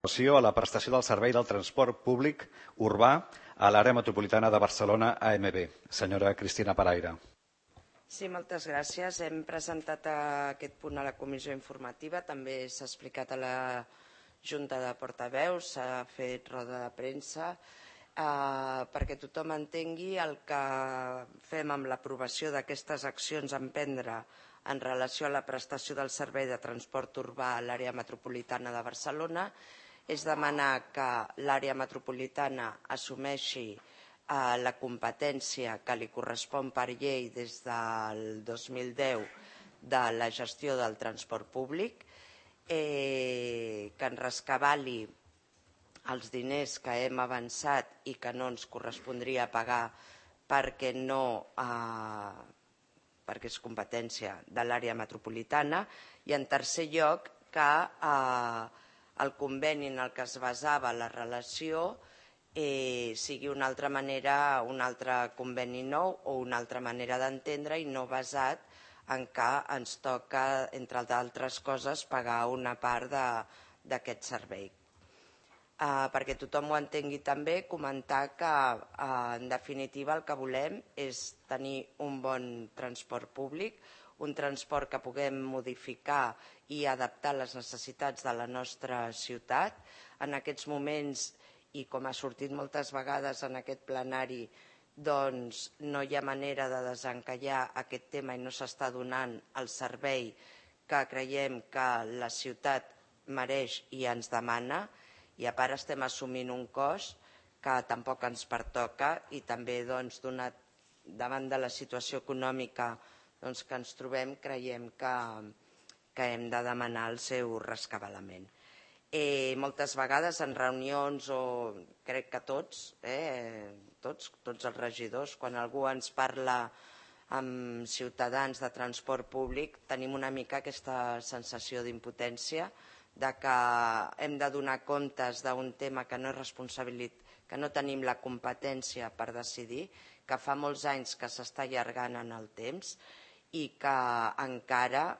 relació a la prestació del servei del transport públic urbà a l'àrea metropolitana de Barcelona AMB. Senyora Cristina Paraire. Sí, moltes gràcies. Hem presentat aquest punt a la comissió informativa, també s'ha explicat a la Junta de Portaveus, s'ha fet roda de premsa, perquè tothom entengui el que fem amb l'aprovació d'aquestes accions a emprendre en relació a la prestació del servei de transport urbà a l'àrea metropolitana de Barcelona és demanar que l'àrea metropolitana assumeixi la competència que li correspon per llei des del 2010 de la gestió del transport públic, que ens rescabali els diners que hem avançat i que no ens correspondria pagar perquè és competència de l'àrea metropolitana, i en tercer lloc que el conveni en el que es basava la relació sigui una altra manera, un altre conveni nou o una altra manera d'entendre i no basat en què ens toca, entre d'altres coses, pagar una part d'aquest servei. Perquè tothom ho entengui també, comentar que en definitiva el que volem és tenir un bon transport públic, un transport que puguem modificar i adaptar les necessitats de la nostra ciutat. En aquests moments, i com ha sortit moltes vegades en aquest plenari, doncs no hi ha manera de desencallar aquest tema i no s'està donant el servei que creiem que la ciutat mereix i ens demana, i a part estem assumint un cost que tampoc ens pertoca i també davant de la situació econòmica que ens trobem creiem que hem de demanar el seu rescabalament. Moltes vegades en reunions, o crec que tots els regidors, quan algú ens parla amb ciutadans de transport públic, tenim una mica aquesta sensació d'impotència, de que hem de donar comptes d'un tema que no és responsabilitat, que no tenim la competència per decidir, que fa molts anys que s'està allargant en el temps i que encara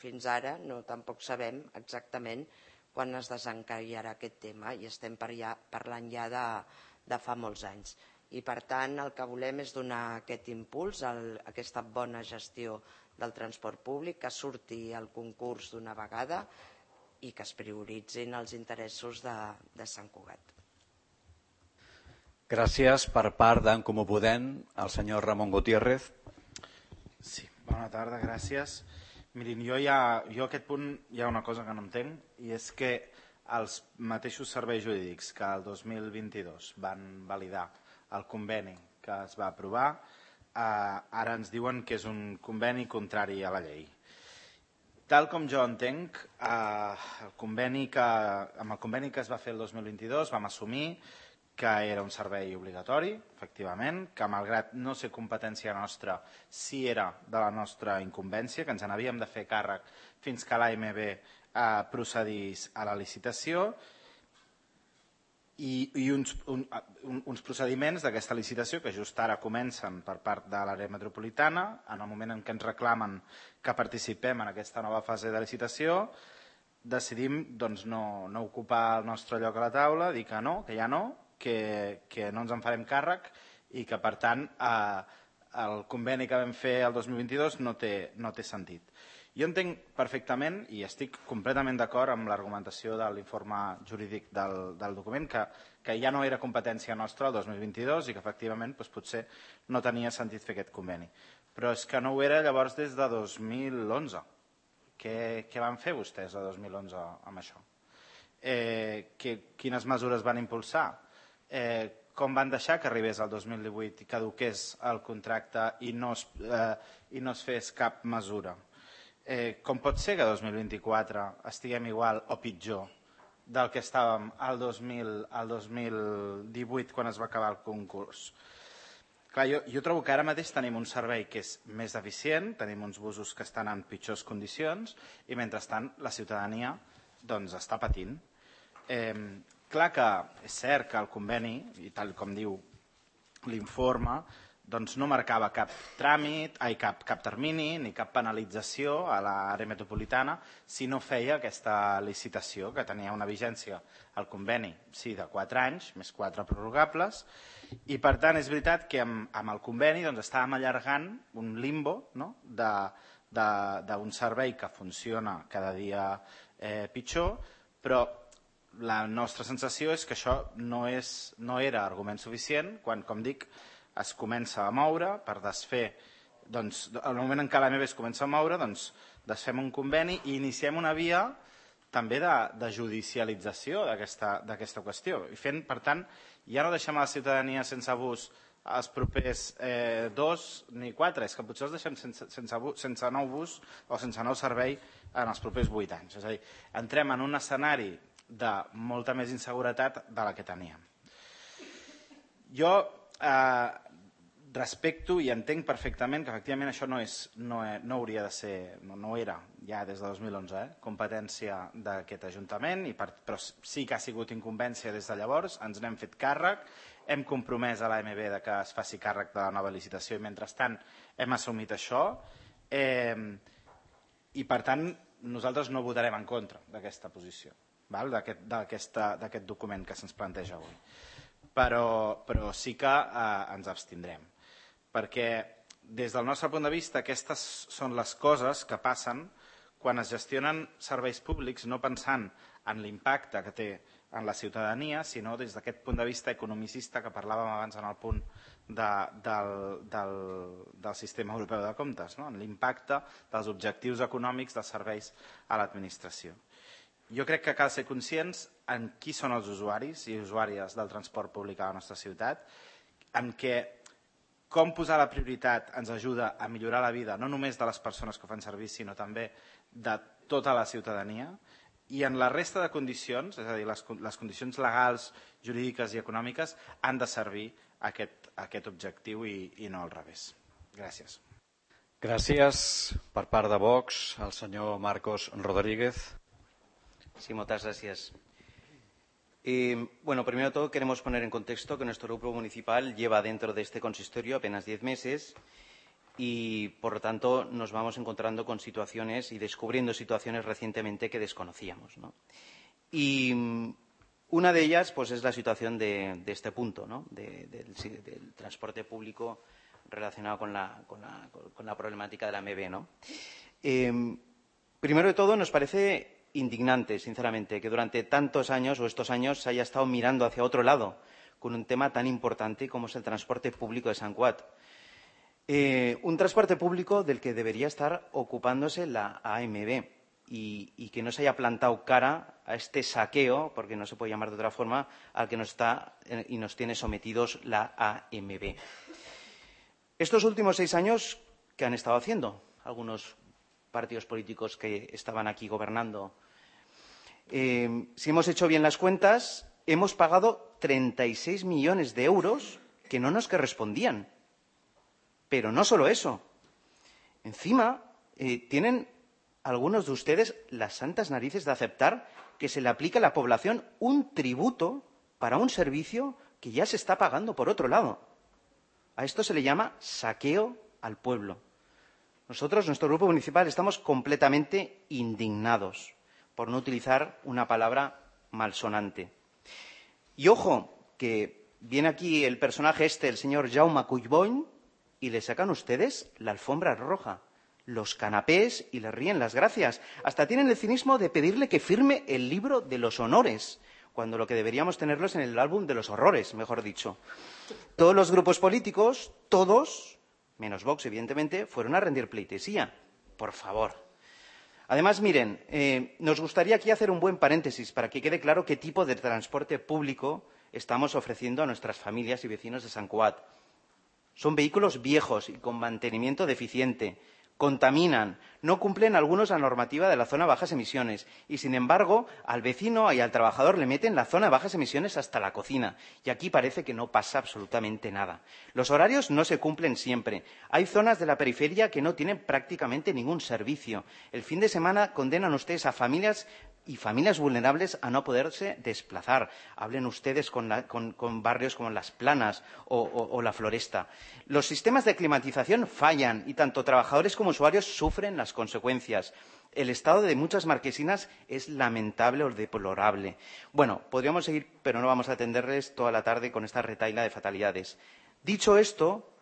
fins ara tampoc sabem exactament quan es desencallarà aquest tema i estem parlant ja de fa molts anys. I per tant el que volem és donar aquest impuls a aquesta bona gestió del transport públic, que surti el concurs d'una vegada i que es prioritzin els interessos de Sant Cugat. Gràcies. Per part d'en Comú Podem, el senyor Ramon Gutiérrez. Sí, bona tarda, gràcies. Mirin, jo aquest punt hi ha una cosa que no entenc, i és que els mateixos serveis jurídics que el 2022 van validar el conveni que es va aprovar, ara ens diuen que és un conveni contrari a la llei. Tal com jo entenc, amb el conveni que es va fer el 2022 vam assumir que era un servei obligatori, efectivament, que malgrat no ser competència nostra, sí era de la nostra incumbència, que ens n'havíem de fer càrrec fins que l'AMB procedís a la licitació, i uns procediments d'aquesta licitació que just ara comencen per part de l'àrea metropolitana, en el moment en què ens reclamen que participem en aquesta nova fase de licitació, decidim no ocupar el nostre lloc a la taula, dir que no, que ja no, que no ens en farem càrrec i que, per tant, el conveni que vam fer el 2022 no té sentit. Jo entenc perfectament i estic completament d'acord amb l'argumentació de l'informe jurídic del document, que ja no era competència nostra el 2022 i que efectivament potser no tenia sentit fer aquest conveni. Però és que no ho era llavors des de 2011. Què van fer vostès el 2011 amb això? Quines mesures van impulsar? Com van deixar que arribés el 2018 i caduqués el contracte i no es fes cap mesura? Com pot ser que el 2024 estiguem igual o pitjor del que estàvem el 2018 quan es va acabar el concurs? Clar, jo trobo que ara mateix tenim un servei que és més eficient, tenim uns busos que estan en pitjors condicions i mentrestant la ciutadania està patint. Clar que és cert que el conveni, i tal com diu l'informe, doncs no marcava cap tràmit, cap termini ni cap penalització a l'àrea metropolitana si no feia aquesta licitació, que tenia una vigència al conveni, sí, de 4 anys, més 4 prorrogables, i per tant és veritat que amb el conveni doncs, estàvem allargant un limbo, no?, d'un servei que funciona cada dia pitjor, però la nostra sensació és que això no era argument suficient quan, com dic, es comença a moure per desfer, doncs, al moment en què l'AMB es comença a moure, doncs, desfem un conveni i iniciem una via també de judicialització d'aquesta qüestió. I fent, per tant, ja no deixem a la ciutadania sense bus els propers 2 ni 4, és que potser els deixem sense nou bus o sense nou servei en els propers 8 anys. És a dir, entrem en un escenari de molta més inseguretat de la que teníem. Jo respecto i entenc perfectament que efectivament això no hauria de ser, no era ja des de 2011 competència d'aquest Ajuntament, però sí que ha sigut incumbència des de llavors, ens n'hem fet càrrec, hem compromès a l'AMB que es faci càrrec de la nova licitació i mentrestant hem assumit això i per tant nosaltres no votarem en contra d'aquesta posició, d'aquest document que se'ns planteja avui. Però sí que ens abstindrem, perquè des del nostre punt de vista aquestes són les coses que passen quan es gestionen serveis públics no pensant en l'impacte que té en la ciutadania, sinó des d'aquest punt de vista economicista que parlàvem abans en el punt del sistema europeu de comptes, en l'impacte dels objectius econòmics dels serveis a l'administració. Jo crec que cal ser conscients en qui són els usuaris i usuàries del transport públic a la nostra ciutat, en què com posar la prioritat ens ajuda a millorar la vida no només de les persones que ho fan servir, sinó també de tota la ciutadania, i en la resta de condicions, és a dir, les condicions legals, jurídiques i econòmiques, han de servir a aquest objectiu i no al revés. Gràcies. Gràcies. Per part de Vox, el senyor Marcos Rodríguez. Sí, muchas gracias. Bueno, primero de todo queremos poner en contexto que nuestro grupo municipal lleva dentro de este consistorio apenas 10 meses y, por lo tanto, nos vamos encontrando con situaciones y descubriendo situaciones recientemente que desconocíamos, ¿no? Y una de ellas pues, es la situación de este punto, ¿no? del transporte público relacionado con la problemática de la AMB, ¿no? Primero de todo, nos parece indignante, sinceramente, que durante tantos años o estos años se haya estado mirando hacia otro lado con un tema tan importante como es el transporte público de Sant Cugat. Un transporte público del que debería estar ocupándose la AMB y que no se haya plantado cara a este saqueo, porque no se puede llamar de otra forma, al que nos está y nos tiene sometidos la AMB. Estos últimos 6 años, ¿qué han estado haciendo algunos partidos políticos que estaban aquí gobernando? Si hemos hecho bien las cuentas, hemos pagado 36 millones de euros que no nos correspondían. Pero no solo eso. Encima, tienen algunos de ustedes las santas narices de aceptar que se le aplica a la población un tributo para un servicio que ya se está pagando por otro lado. A esto se le llama saqueo al pueblo. Nosotros, nuestro grupo municipal, estamos completamente indignados, por no utilizar una palabra malsonante. Y ojo, que viene aquí el personaje el señor Jaume Collboni, y le sacan ustedes la alfombra roja, los canapés y le ríen las gracias. Hasta tienen el cinismo de pedirle que firme el libro de los honores, cuando lo que deberíamos tenerlo es en el álbum de los horrores, mejor dicho. Todos los grupos políticos, todos, menos Vox, evidentemente, fueron a rendir pleitesía. Por favor. Además, miren, nos gustaría aquí hacer un buen paréntesis para que quede claro qué tipo de transporte público estamos ofreciendo a nuestras familias y vecinos de Sant Cugat. Son vehículos viejos y con mantenimiento deficiente, contaminan, no cumplen algunos la normativa de la zona de bajas emisiones y, sin embargo, al vecino y al trabajador le meten la zona de bajas emisiones hasta la cocina. Y aquí parece que no pasa absolutamente nada. Los horarios no se cumplen siempre. Hay zonas de la periferia que no tienen prácticamente ningún servicio. El fin de semana condenan ustedes a familias y familias vulnerables a no poderse desplazar. Hablen ustedes con barrios como Las Planas o La Floresta. Los sistemas de climatización fallan y tanto trabajadores como usuarios sufren las consecuencias. El estado de muchas marquesinas es lamentable o deplorable. Bueno, podríamos seguir, pero no vamos a atenderles toda la tarde con esta retahíla de fatalidades. Dicho esto,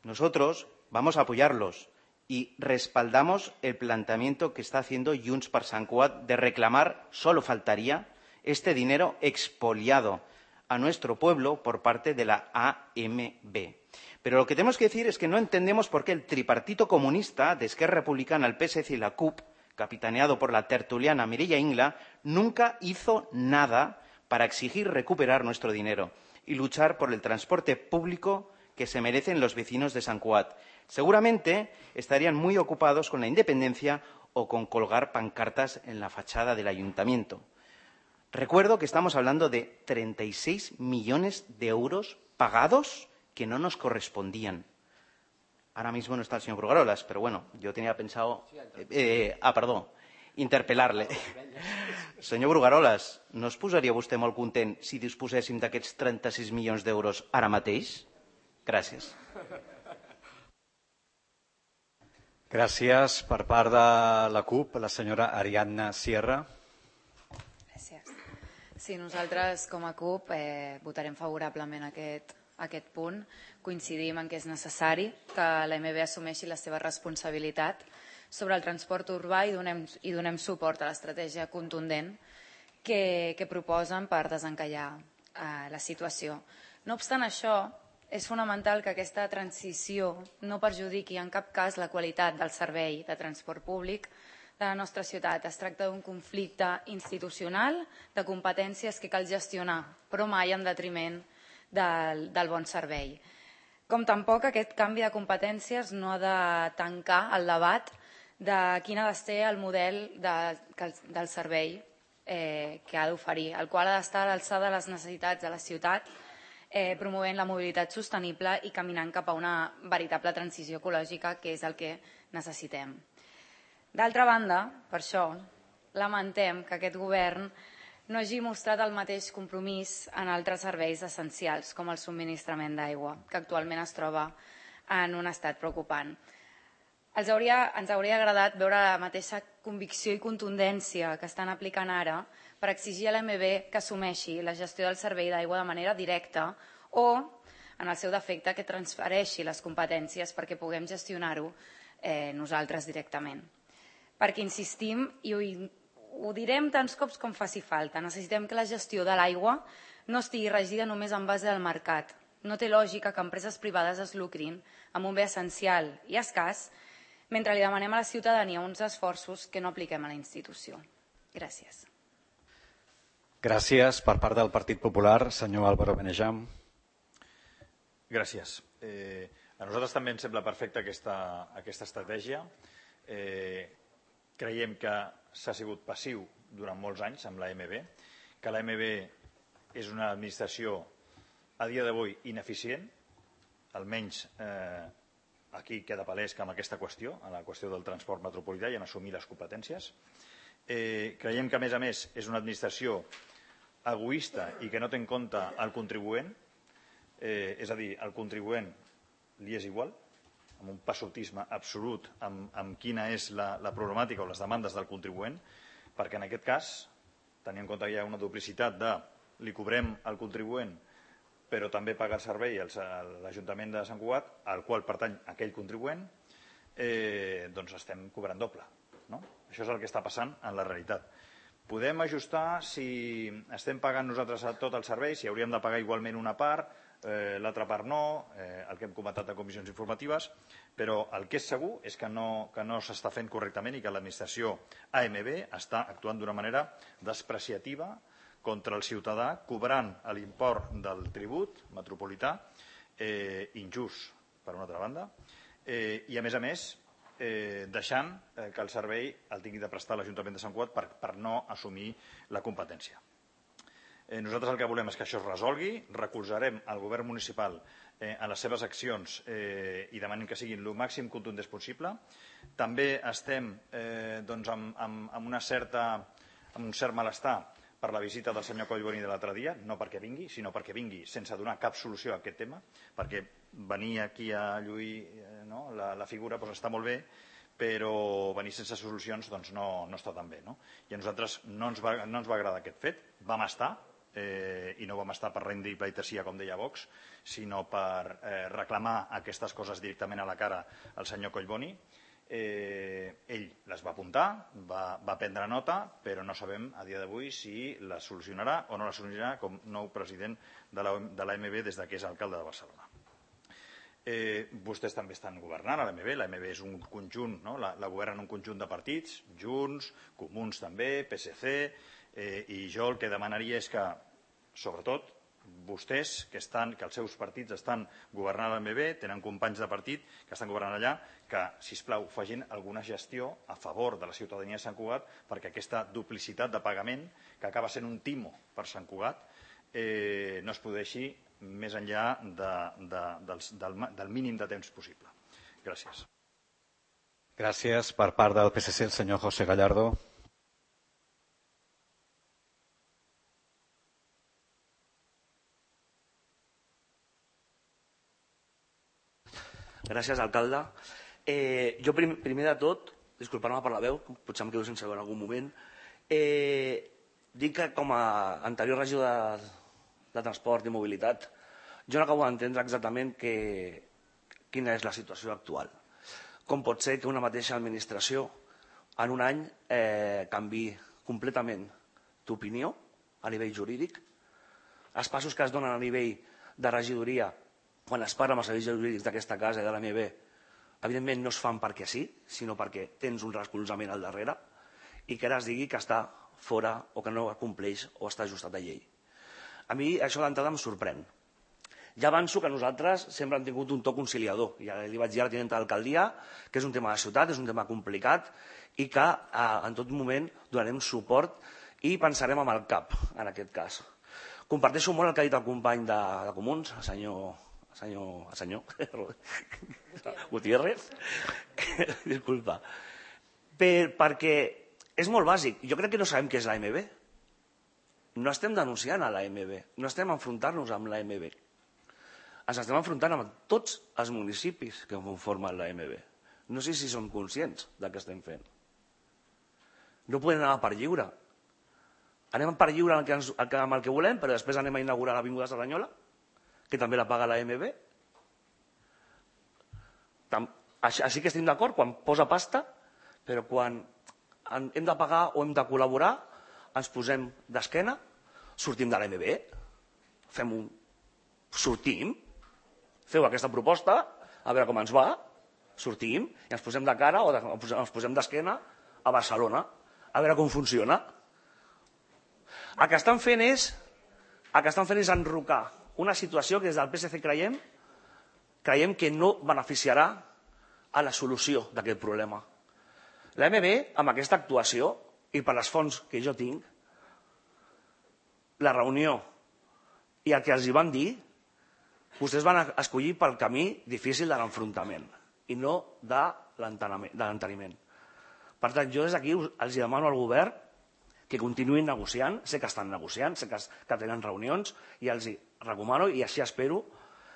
nosotros vamos a apoyarlos y respaldamos el planteamiento que está haciendo Junts per Sant Cugat de reclamar, solo faltaría, este dinero expoliado a nuestro pueblo por parte de la AMB. Pero lo que tenemos que decir es que no entendemos por qué el tripartito comunista de Esquerra Republicana, el PSC y la CUP, capitaneado por la tertuliana Mireia Ingla, nunca hizo nada para exigir recuperar nuestro dinero y luchar por el transporte público que se merecen los vecinos de Sant Cugat. Seguramente estarían muy ocupados con la independencia o con colgar pancartas en la fachada del ayuntamiento. Recuerdo que estamos hablando de 36 millones de euros pagados que no nos correspondían. Ahora mismo no está el señor Brugarolas, pero bueno, yo tenía pensado... interpel·lar-le. Senyor Brugarolas, no es posaria vostè molt content si disposéssim d'aquests 36 milions d'euros ara mateix? Gràcies. Gràcies. Per part de la CUP, la senyora Ariadna Sierra. Gràcies. Sí, nosaltres com a CUP votarem favorablement aquest punt. Coincidim en que és necessari que l'AMB assumeixi la seva responsabilitat sobre el transport urbà i donem suport a l'estratègia contundent que proposen per desencallar la situació. No obstant això, és fonamental que aquesta transició no perjudiqui en cap cas la qualitat del servei de transport públic de la nostra ciutat. Es tracta d'un conflicte institucional de competències que cal gestionar, però mai en detriment del bon servei. Com tampoc aquest canvi de competències no ha de tancar el debat de quin ha de ser el model del servei que ha d'oferir, el qual ha d'estar a l'alçada de les necessitats de la ciutat, promovent la mobilitat sostenible i caminant cap a una veritable transició ecològica, que és el que necessitem. D'altra banda, per això, lamentem que aquest govern no hagi mostrat el mateix compromís en altres serveis essencials, com el subministrament d'aigua, que actualment es troba en un estat preocupant. Ens hauria agradat veure la mateixa convicció i contundència que estan aplicant ara per exigir a l'AMB que assumeixi la gestió del servei d'aigua de manera directa o, en el seu defecte, que transfereixi les competències perquè puguem gestionar-ho nosaltres directament. Perquè insistim, i ho direm tants cops com faci falta, necessitem que la gestió de l'aigua no estigui regida només en base al mercat. No té lògica que empreses privades es lucrin amb un bé essencial i escàs mentre li demanem a la ciutadania uns esforços que no apliquem a la institució. Gràcies. Gràcies. Per part del Partit Popular, senyor Álvaro Benejam. Gràcies. A nosaltres també ens sembla perfecta aquesta estratègia. Creiem que s'ha sigut passiu durant molts anys amb l'AMB, que l'AMB és una administració a dia d'avui ineficient, almenys aquí queda palès que amb aquesta qüestió, en la qüestió del transport metropolità, i en assumir les competències. Creiem que, a més, és una administració egoista i que no té en compte el contribuent, és a dir, el contribuent li és igual, amb un passotisme absolut amb quina és la problemàtica o les demandes del contribuent, perquè en aquest cas, tenint en compte que hi ha una duplicitat de li cobrem al contribuent però també paga el servei a l'Ajuntament de Sant Cugat, al qual pertany aquell contribuent, doncs estem cobrant doble. Això és el que està passant en la realitat. Podem ajustar si estem pagant nosaltres tot el servei, si hauríem de pagar igualment una part, l'altra part no, el que hem comentat a comissions informatives, però el que és segur és que no s'està fent correctament i que l'administració AMB està actuant d'una manera despreciativa contra el ciutadà, cobrant l'import del tribut metropolità, injust, per una altra banda, i a més, deixant que el servei el tingui de prestar l'Ajuntament de Sant Cugat per no assumir la competència. Nosaltres el que volem és que això es resolgui, recolzarem el govern municipal en les seves accions i demanem que siguin el màxim contundents possible. També estem amb una certa amb un cert malestar per la visita del senyor Collboni de l'altre dia, no perquè vingui, sinó perquè vingui sense donar cap solució a aquest tema, perquè venir aquí a lluir la figura està molt bé, però venir sense solucions no està tan bé. I a nosaltres no ens va agradar aquest fet. Vam estar, i no vam estar per rendir pleitesía, com deia Vox, sinó per reclamar aquestes coses directament a la cara al senyor Collboni. Ell les va apuntar, va prendre nota, però no sabem a dia d'avui si la solucionarà o no la solucionarà com nou president de l'AMB des que és alcalde de Barcelona. Vostès també estan governant a l'AMB. L'AMB és un conjunt, la governen un conjunt de partits, Junts, Comuns també, PSC, i jo el que demanaria és que, sobretot, vostès, que els seus partits estan governant a l'AMB, tenen companys de partit que estan governant allà, que, sisplau, facin alguna gestió a favor de la ciutadania de Sant Cugat perquè aquesta duplicitat de pagament, que acaba sent un timo per Sant Cugat, no es produeixi més enllà del mínim de temps possible. Gràcies. Gràcies. Per part del PSC, el senyor José Gallardo. Gràcies, alcalde. Jo, primer de tot, disculpar-me per la veu, potser em quedo sense veu en algun moment, dic que com a anterior regidor de Transport i Mobilitat, jo no acabo d'entendre exactament quina és la situació actual. Com pot ser que una mateixa administració en un any canviï completament d'opinió a nivell jurídic, els passos que es donen a nivell de regidoria quan es parla amb els serveis jurídics d'aquesta casa i de l'AMB, evidentment no es fan perquè sí, sinó perquè tens un recolzament al darrere i que ara es digui que està fora o que no compleix o està ajustat a llei. A mi això d'entrada em sorprèn. Ja avanço que nosaltres sempre hem tingut un to conciliador. Ja li vaig dir a la tinenta d'alcaldia que és un tema de ciutat, és un tema complicat i que en tot moment donarem suport i pensarem amb el cap, en aquest cas. Comparteixo molt el que ha dit el company de Comuns, el senyor Gutiérrez, disculpa, perquè és molt bàsic. Jo crec que no sabem què és l'AMB. No estem denunciant a l'AMB, no estem enfrontant-nos amb l'AMB. Ens estem enfrontant amb tots els municipis que conformen l'AMB. No sé si som conscients del que estem fent. No podem anar per lliure. Anem per lliure amb el que volem, però després anem a inaugurar l'Avinguda Cerdanyola, que també la paga l'AMB. Així que estem d'acord quan posa pasta, però quan hem de pagar o hem de col·laborar, ens posem d'esquena, sortim de l'AMB, sortim, feu aquesta proposta, a veure com ens va, sortim i ens posem de cara o ens posem d'esquena a Barcelona, a veure com funciona. El que estan fent és enrocar una situació que des del PSC creiem que no beneficiarà a la solució d'aquest problema. L'AMB, amb aquesta actuació, i per les fonts que jo tinc, la reunió i el que els hi van dir, vostès van escollir pel camí difícil de l'enfrontament i no de l'enteniment. Per tant, jo des d'aquí els demano al govern que continuïn negociant, sé que estan negociant, sé que tenen reunions i els recomano i així espero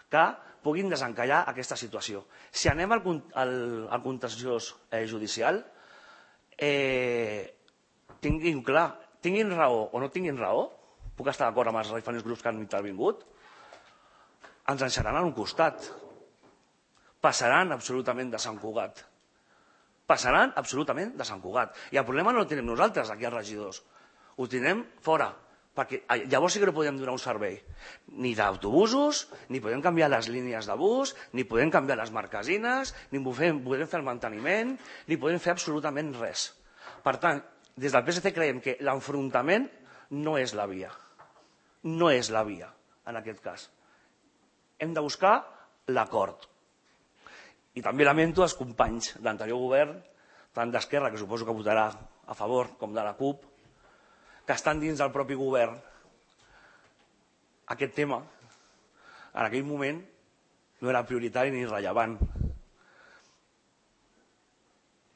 que puguin desencallar aquesta situació. Si anem al contenciós judicial, tinguin clar, tinguin raó o no tinguin raó, puc estar d'acord amb els diferents grups que han intervingut, ens deixaran a un costat. Passaran absolutament de Sant Cugat. Passaran absolutament de Sant Cugat. I el problema no el tenim nosaltres, aquí els regidors. Ho tindrem fora, perquè llavors sí que no podem donar un servei. Ni d'autobusos, ni podem canviar les línies de bus, ni podem canviar les marquesines, ni podem fer el manteniment, ni podem fer absolutament res. Per tant, des del PSC creiem que l'enfrontament no és la via. No és la via, en aquest cas. Hem de buscar l'acord. I també lamento els companys de l'anterior govern, tant d'Esquerra, que suposo que votarà a favor, com de la CUP, que estan dins del propi govern. Aquest tema, en aquell moment, no era prioritari ni rellevant.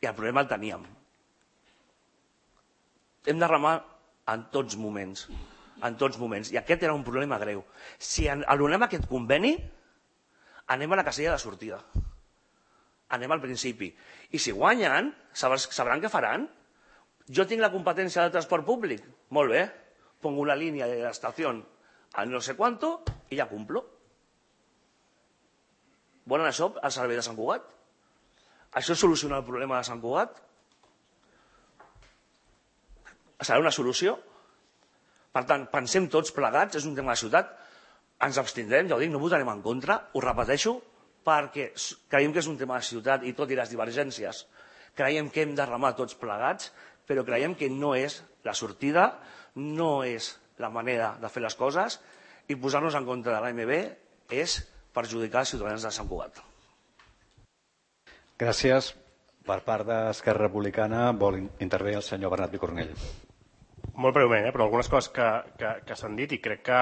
I el problema el teníem. Hem de remar en tots moments. En tots moments. I aquest era un problema greu. Si anul·lem aquest conveni, anem a la casella de sortida. Anem al principi. I si guanyen, sabran què faran? Jo tinc la competència del transport públic. Molt bé. Pongo una línia de l'estació a no sé quanto i ja cumplo. Volen això al servei de Sant Cugat? Això soluciona el problema de Sant Cugat? Serà una solució? Per tant, pensem tots plegats, és un tema de ciutat, ens abstindrem, ja ho dic, no votarem en contra, ho repeteixo, perquè creiem que és un tema de ciutat i tot i les divergències, creiem que hem de remar tots plegats, però creiem que no és la sortida, no és la manera de fer les coses i posar-nos en contra de l'AMB és perjudicar els ciutadans de Sant Cugat. Gràcies. Per part d'Esquerra Republicana vol intervenir el senyor Bernat Picornell. Molt breument, però algunes coses que s'han dit i crec que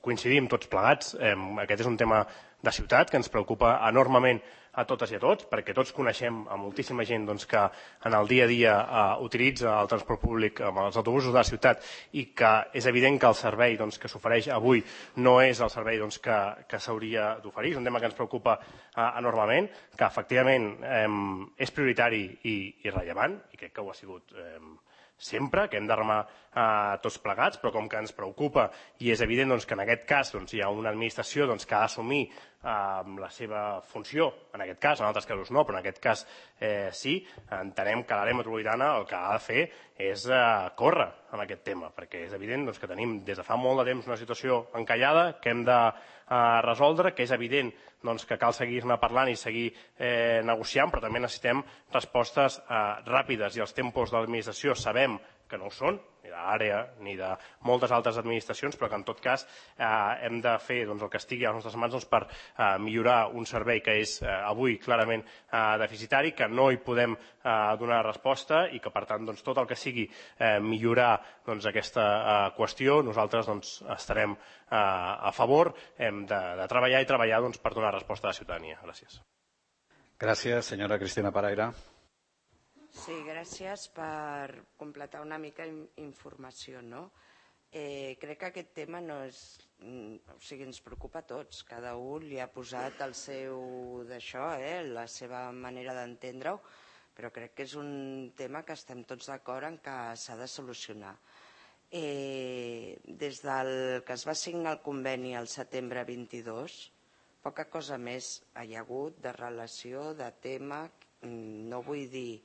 coincidim tots plegats. Aquest és un tema de ciutat que ens preocupa enormement a totes i a tots, perquè tots coneixem a moltíssima gent que en el dia a dia utilitza el transport públic amb els autobusos de la ciutat i que és evident que el servei que s'ofereix avui no és el servei que s'hauria d'oferir. És un tema que ens preocupa enormement, que efectivament és prioritari i rellevant, i crec que ho ha sigut sempre, que hem de remar tots plegats, però com que ens preocupa i és evident que en aquest cas hi ha una administració que ha d'assumir la seva funció, en aquest cas, en altres casos no, però en aquest cas sí, entenem que l'àrea metropolitana el que ha de fer és córrer en aquest tema, perquè és evident que tenim des de fa molt de temps una situació encallada que hem de resoldre, que és evident que cal seguir-ne parlant i seguir negociant, però també necessitem respostes ràpides i els tempos de l'administració sabem que no ho són, ni de l'àrea ni de moltes altres administracions, però que en tot cas hem de fer el que estigui a les nostres mans per millorar un servei que és avui clarament deficitari, que no hi podem donar resposta i que per tant tot el que sigui millorar aquesta qüestió nosaltres estarem a favor, hem de treballar i treballar per donar resposta a la ciutadania. Gràcies. Gràcies, senyora Cristina Paraire. Sí, gràcies per completar una mica informació, no? Crec que aquest tema no és... O sigui, ens preocupa a tots. Cada un li ha posat el seu d'això, la seva manera d'entendre-ho, però crec que és un tema que estem tots d'acord en que s'ha de solucionar. Des del que es va signar el conveni al setembre 22, poca cosa més hi ha hagut de relació, de tema, no vull dir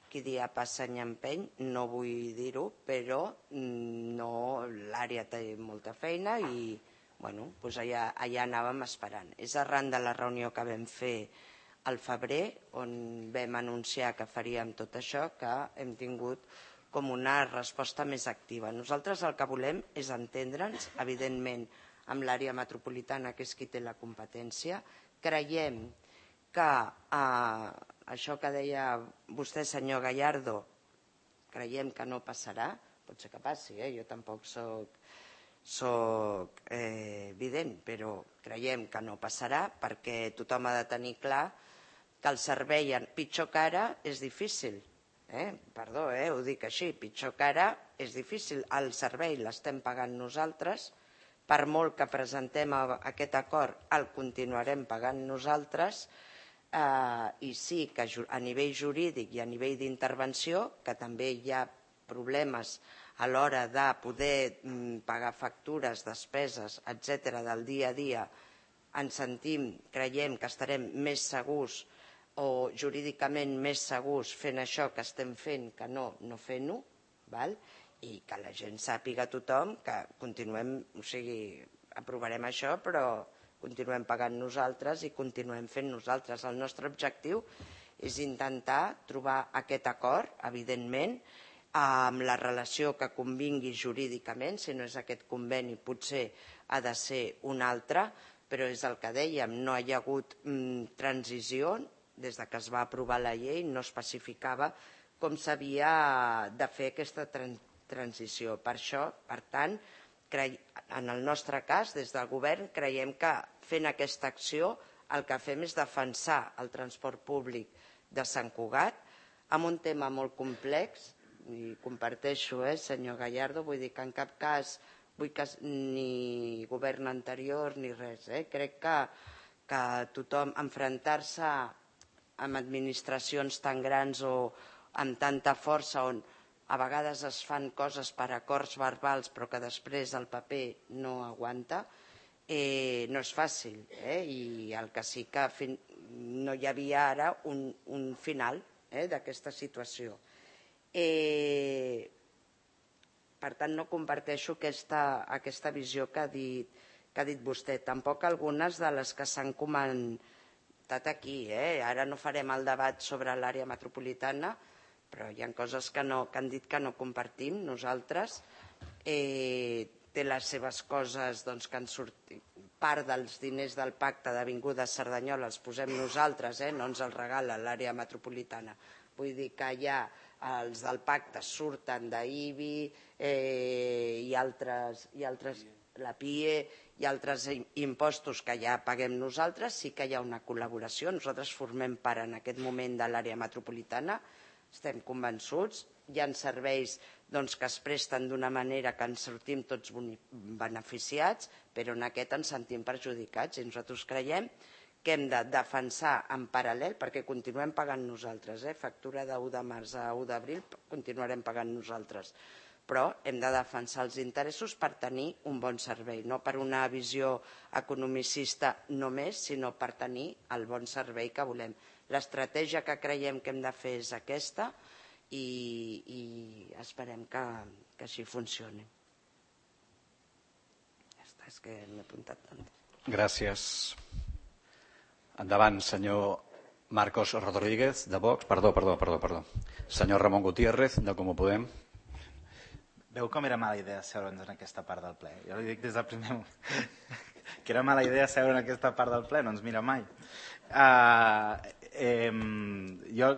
qui dia passa any empeny, no vull dir-ho, però l'àrea té molta feina i allà anàvem esperant. És arran de la reunió que vam fer al febrer, on vam anunciar que faríem tot això, que hem tingut com una resposta més activa. Nosaltres el que volem és entendre'ns, evidentment, amb l'àrea metropolitana, que és qui té la competència. Creiem que això que deia vostè, senyor Gallardo, creiem que no passarà, pot ser que passi, jo tampoc soc evident, però creiem que no passarà perquè tothom ha de tenir clar que el servei pitjor que ara és difícil. Perdó, ho dic així, pitjor que ara és difícil. El servei l'estem pagant nosaltres, per molt que presentem aquest acord el continuarem pagant nosaltres, i sí que a nivell jurídic i a nivell d'intervenció, que també hi ha problemes a l'hora de poder pagar factures, despeses, etc. del dia a dia, ens sentim, creiem que estarem més segurs o jurídicament més segurs fent això que estem fent que no fent-ho, i que la gent sàpiga tothom que continuem, o sigui, aprovarem això, però continuem pagant nosaltres i continuem fent nosaltres. El nostre objectiu és intentar trobar aquest acord, evidentment, amb la relació que convingui jurídicament, si no és aquest conveni potser ha de ser un altre, però és el que dèiem, no hi ha hagut transició, des que es va aprovar la llei no especificava com s'havia de fer aquesta transició. Per això, per tant, en el nostre cas, des del govern, creiem que fent aquesta acció el que fem és defensar el transport públic de Sant Cugat amb un tema molt complex, i comparteixo, senyor Gallardo, vull dir que en cap cas vull que ni govern anterior ni res. Crec que tothom enfrontar-se amb administracions tan grans o amb tanta força on a vegades es fan coses per acords verbals però que després el paper no aguanta, no és fàcil. I el que sí que no hi havia ara un final d'aquesta situació. Per tant, no comparteixo aquesta visió que ha dit vostè. Tampoc algunes de les que s'han comentat aquí. Ara no farem el debat sobre l'àrea metropolitana, però hi ha coses que han dit que no compartim nosaltres. Té les seves coses que han sortit. Part dels diners del pacte d'Avinguda Cerdanyola els posem nosaltres, no ens els regala l'àrea metropolitana. Vull dir que ja els del pacte surten d'IBI i altres, la PIE i altres impostos que ja paguem nosaltres. Sí que hi ha una col·laboració. Nosaltres formem part en aquest moment de l'àrea metropolitana. Estem convençuts. Hi ha serveis que es presten d'una manera que ens sortim tots beneficiats, però en aquest ens sentim perjudicats i nosaltres creiem que hem de defensar en paral·lel, perquè continuem pagant nosaltres, factura de 1 de març a 1 d'abril continuarem pagant nosaltres, però hem de defensar els interessos per tenir un bon servei, no per una visió economicista només, sinó per tenir el bon servei que volem. L'estratègia que creiem que hem de fer és aquesta i esperem que així funcioni. Ja està, és que m'he apuntat tant. Gràcies. Endavant, senyor Marcos Rodríguez, de Vox. Perdó. Senyor Ramon Gutiérrez, de Comú Podem. Veu com era mala idea seure'ns en aquesta part del ple? Jo li dic des del primer moment que era mala idea seure en aquesta part del ple, no ens mira mai. Jo,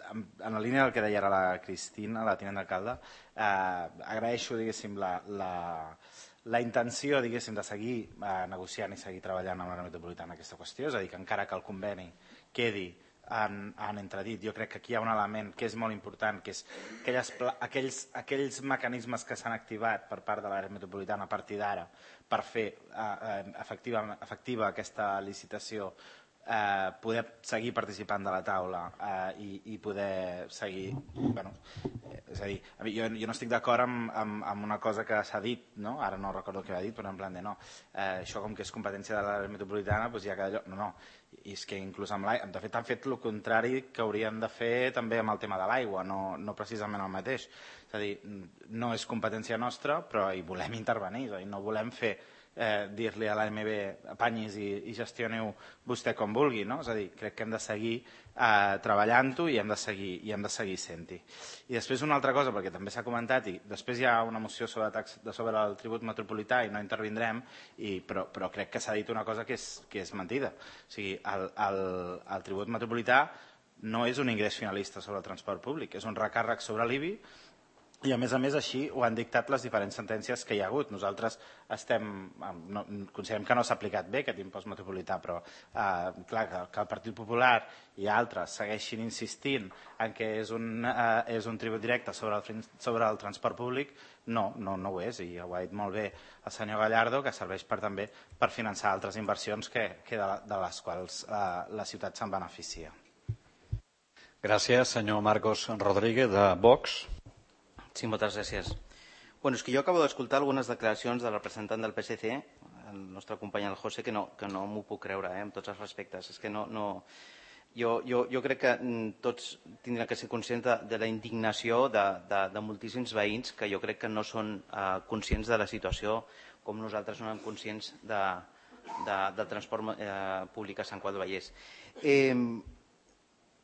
en la línia del que deia ara la Cristina, la tinent d'alcalde, agraeixo, diguéssim, la intenció, diguéssim, de seguir negociant i seguir treballant amb l'àrea metropolitana en aquesta qüestió, és a dir, que encara que el conveni quedi en entredit, jo crec que aquí hi ha un element que és molt important, que és aquells mecanismes que s'han activat per part de l'àrea metropolitana a partir d'ara per fer efectiva aquesta licitació, poder seguir participant de la taula i poder seguir... És a dir, jo no estic d'acord amb una cosa que s'ha dit, ara no recordo què ha dit, però en plan de no, això com que és competència de l'àrea metropolitana, doncs ja queda allò... No, i és que inclús amb l'aigua, de fet han fet el contrari que haurien de fer també amb el tema de l'aigua, no precisament el mateix. És a dir, no és competència nostra, però hi volem intervenir, és a dir, no volem fer dir-li a l'AMB apanyis i gestioneu vostè com vulgui, no? És a dir, crec que hem de seguir treballant-ho i hem de seguir sent-hi. I després una altra cosa, perquè també s'ha comentat, i després hi ha una moció sobre el tribut metropolità i no intervindrem, però crec que s'ha dit una cosa que és mentida. O sigui, el tribut metropolità no és un ingrés finalista sobre el transport públic, és un recàrrec sobre l'IBI. I a més així ho han dictat les diferents sentències que hi ha hagut. Nosaltres considerem que no s'ha aplicat bé aquest impost metropolità, però clar, que el Partit Popular i altres segueixin insistint en que és un tribut directe sobre el transport públic, no ho és, i ho ha dit molt bé el senyor Gallardo, que serveix també per finançar altres inversions de les quals la ciutat se'n beneficia. Gràcies, senyor Marcos Rodríguez, de Vox. Sí, moltes gràcies. Bueno, és que jo acabo d'escoltar algunes declaracions del representant del PSC, el nostre company el José, que no m'ho puc creure, amb tots els respectes. És que jo crec que tots tindran que ser conscients de la indignació de moltíssims veïns que jo crec que no són conscients de la situació com nosaltres som conscients del transport públic a Sant Cugat del Vallès.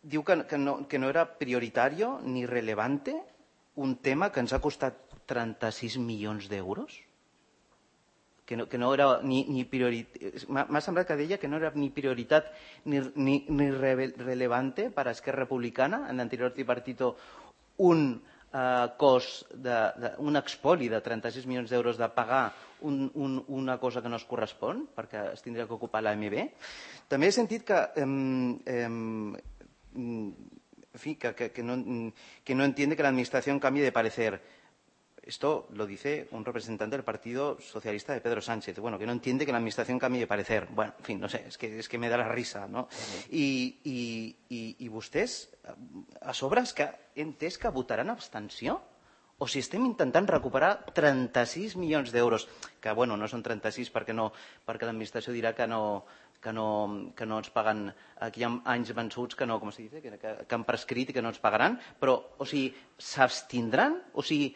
Diu que no era prioritari ni relevante un tema que ens ha costat 36 milions d'euros? Que no era ni prioritat... M'ha semblat que deia que no era ni prioritat ni relevante per a Esquerra Republicana, en l'anterior tripartito, un cost, un expoli de 36 milions d'euros de pagar una cosa que no es correspon, perquè es tindria que ocupar l'AMB. També he sentit que en fin, que no entiende que la Administración cambie de parecer. Esto lo dice un representante del Partido Socialista de Pedro Sánchez. Bueno, que no entiende que la Administración cambie de parecer. Bueno, en fin, no sé, és que me da la risa, no? I vostès, a sobre, és que he entès que votaran abstenció? O si estem intentant recuperar 36 milions d'euros, que, bueno, no són 36 perquè l'administració dirà que no ens paguen, que hi ha anys vençuts que no, com es diu, que han prescrit i que no ens pagaran, però, o sigui, s'abstindran? O sigui,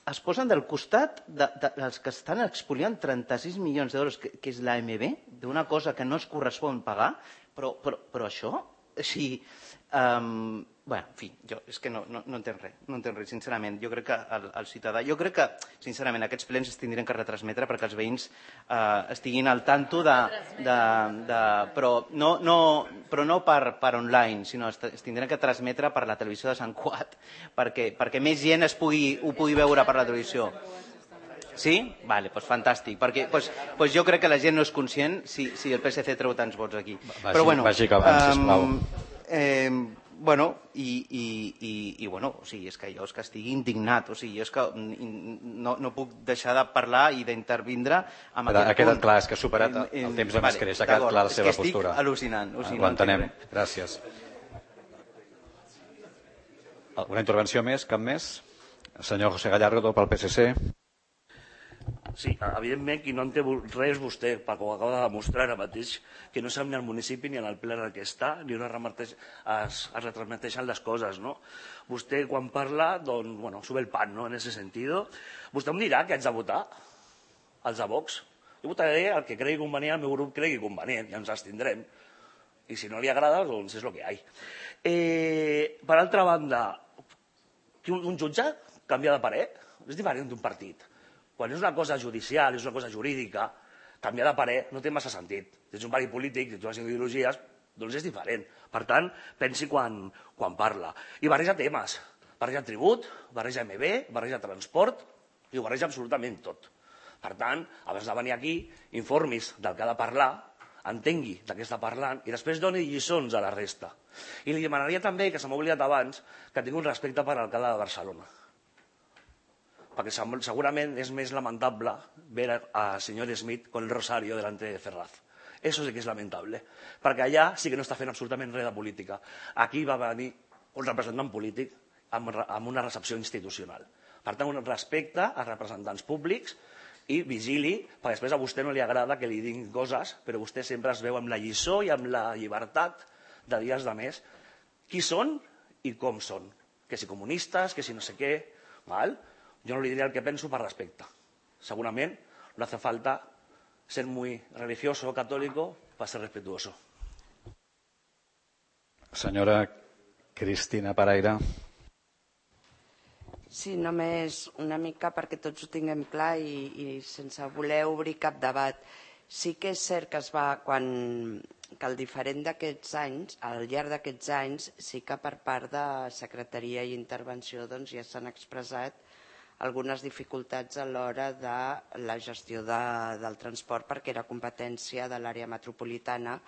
es posen del costat dels que estan expoliant 36 milions d'euros, que és l'AMB, d'una cosa que no es correspon pagar, però això, si... Bé, en fi, jo és que no entenc res, sincerament. Jo crec que el ciutadà... Jo crec que, sincerament, aquests plens es tindrien que retransmetre perquè els veïns estiguin al tanto però no per online, sinó es tindrien que transmetre per la televisió de Sant Cugat perquè més gent ho pugui veure per la televisió. Sí? Vale, doncs fantàstic. Perquè jo crec que la gent no és conscient si el PSC treu tants vots aquí. Vagi acabant, sisplau. Bueno, bueno, o sigui, és que jo estigui indignat, o sigui, jo és que no puc deixar de parlar i d'intervindre amb aquest punt. Ha quedat clar, és que ha superat el temps de mascarell, ha quedat clar la seva postura. Estic al·lucinant. Ho entenem, gràcies. Alguna intervenció més? Cap més? Senyor José Gallardo, pel PSC. Sí, evidentment qui no en té res és vostè, perquè ho acaba de demostrar ara mateix, que no sap ni al municipi ni en el ple en què està, ni on es retransmeteixen les coses, no? Vostè quan parla, doncs, bueno, sube el pan, ¿no? En ese sentido. Vostè em dirà que haig de votar? Els de Vox? Jo votaré el que cregui convenient, el meu grup cregui convenient, i ens abstindrem. I si no li agrada, doncs és el que hi ha. Per altra banda, un jutge canvia de parer? És diferent d'un partit. Quan és una cosa judicial, és una cosa jurídica, canviar de parer no té massa sentit. Si ets un partit polític, si ets unes ideologies, doncs és diferent. Per tant, pensi quan parla. I barreja temes. Barreja tribut, barreja MB, barreja transport, i ho barreja absolutament tot. Per tant, abans de venir aquí, informis del que ha de parlar, entengui de què està parlant i després doni lliçons a la resta. I li demanaria també, que se m'ha oblidat abans, que tingui un respecte per l'alcalde de Barcelona. Perquè segurament és més lamentable ver a senyor Smith con el rosario delante de Ferraz. Eso sí que és lamentable, perquè allà sí que no està fent absolutament res de política. Aquí va venir un representant polític amb una recepció institucional. Per tant, un respecte als representants públics i vigili, perquè després a vostè no li agrada que li diguin coses, però vostè sempre es veu amb la lliçó i amb la llibertat de dies de més qui són i com són. Que si comunistes, que si no sé què, val? Yo no le diré al que pienso para respecto. Seguramente no hace falta ser muy religioso o católico para ser respetuoso. Senyora Cristina Paraire. Sí, només una mica perquè tots ho tinguem clar i sense voler obrir cap debat. Sí que és cert que que al diferent d'aquests anys, al llarg d'aquests anys, sí que per part de Secretaria i Intervenció ja s'han expressat algunes dificultats a l'hora de la gestió del transport perquè era competència de l'àrea metropolitana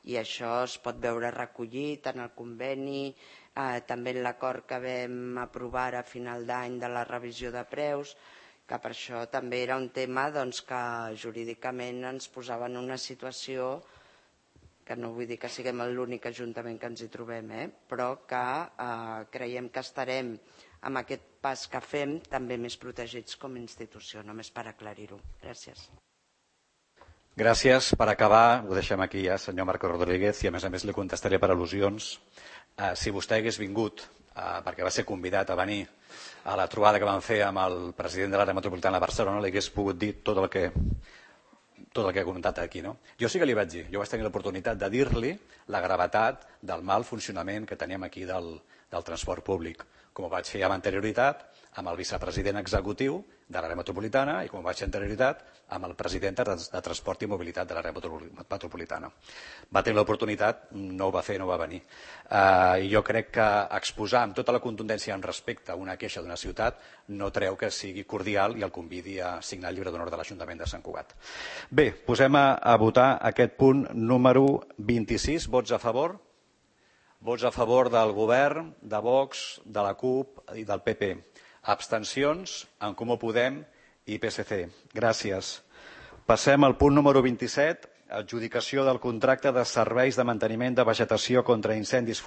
i això es pot veure recollit en el conveni, també en l'acord que vam aprovar a final d'any de la revisió de preus, que per això també era un tema que jurídicament ens posava en una situació que no vull dir que siguem l'únic ajuntament que ens hi trobem, però que creiem que estarem amb aquest pas que fem també més protegits com a institució, només per aclarir-ho. Gràcies. Gràcies. Per acabar, ho deixem aquí ja, senyor Marco Rodríguez, i a més li contestaré per al·lusions. Si vostè hagués vingut, perquè va ser convidat a venir a la trobada que vam fer amb el president de l'àrea metropolitana de Barcelona, li hagués pogut dir tot el que ha comentat aquí. Jo sí que li vaig dir, jo vaig tenir l'oportunitat de dir-li la gravetat del mal funcionament que teníem aquí del transport públic, com ho vaig fer amb anterioritat amb el vicepresident executiu de l'àrea metropolitana i com ho vaig fer amb anterioritat amb el president de Transport i Mobilitat de l'àrea metropolitana. Va tenir l'oportunitat, no ho va fer, no va venir. I jo crec que exposar amb tota la contundència en respecte a una queixa d'una ciutat no treu que sigui cordial i el convidi a signar el llibre d'honor de l'Ajuntament de Sant Cugat. Bé, posem a votar aquest punt número 26. Vots a favor? Vots a favor del Govern, de Vox, de la CUP i del PP. Abstencions, En Comú Podem i PSC. Gràcies. Passem al punt número 27, adjudicació del contracte de serveis de manteniment de vegetació contra incendis